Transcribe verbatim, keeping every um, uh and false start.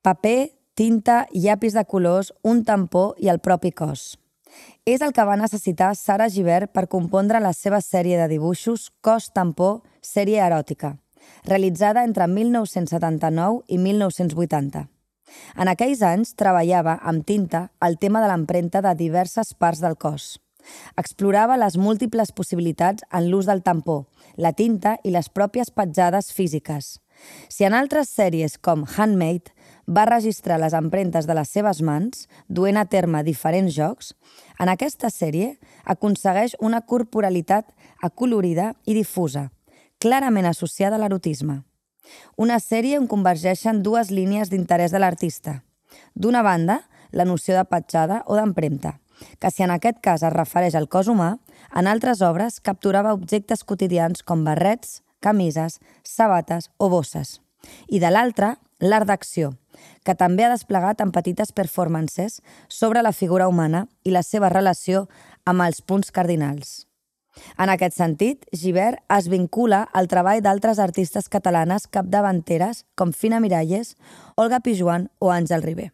Paper, tinta, llapis de colors, un tampó i el propi cos. És el que va necessitar Sara Gibert per compondre la seva sèrie de dibuixos Cos Tampó, sèrie eròtica, realitzada entre mil nou-cents setanta-nou i mil nou-cents vuitanta. En aquells anys treballava amb tinta el tema de l'empremta de diverses parts del cos. Explorava les múltiples possibilitats en l'ús del tampó, la tinta i les pròpies petjades físiques. Si en altres sèries com Handmade va registrar les empremtes de les seves mans, duent a terme diferents jocs, en aquesta sèrie aconsegueix una corporalitat acolorida i difusa, clarament associada a l'erotisme. Una sèrie on convergeixen dues línies d'interès de l'artista. D'una banda, la noció de petjada o d'empremta, que si en aquest cas es refereix al cos humà, en altres obres capturava objectes quotidians com barrets, camises, sabates o bosses. I de l'altra, l'art d'acció, que també ha desplegat en petites performances sobre la figura humana i la seva relació amb els punts cardinals. En aquest sentit, Gibert es vincula al treball d'altres artistes catalanes capdavanteres com Fina Miralles, Olga Pijoan o Àngel Ribé.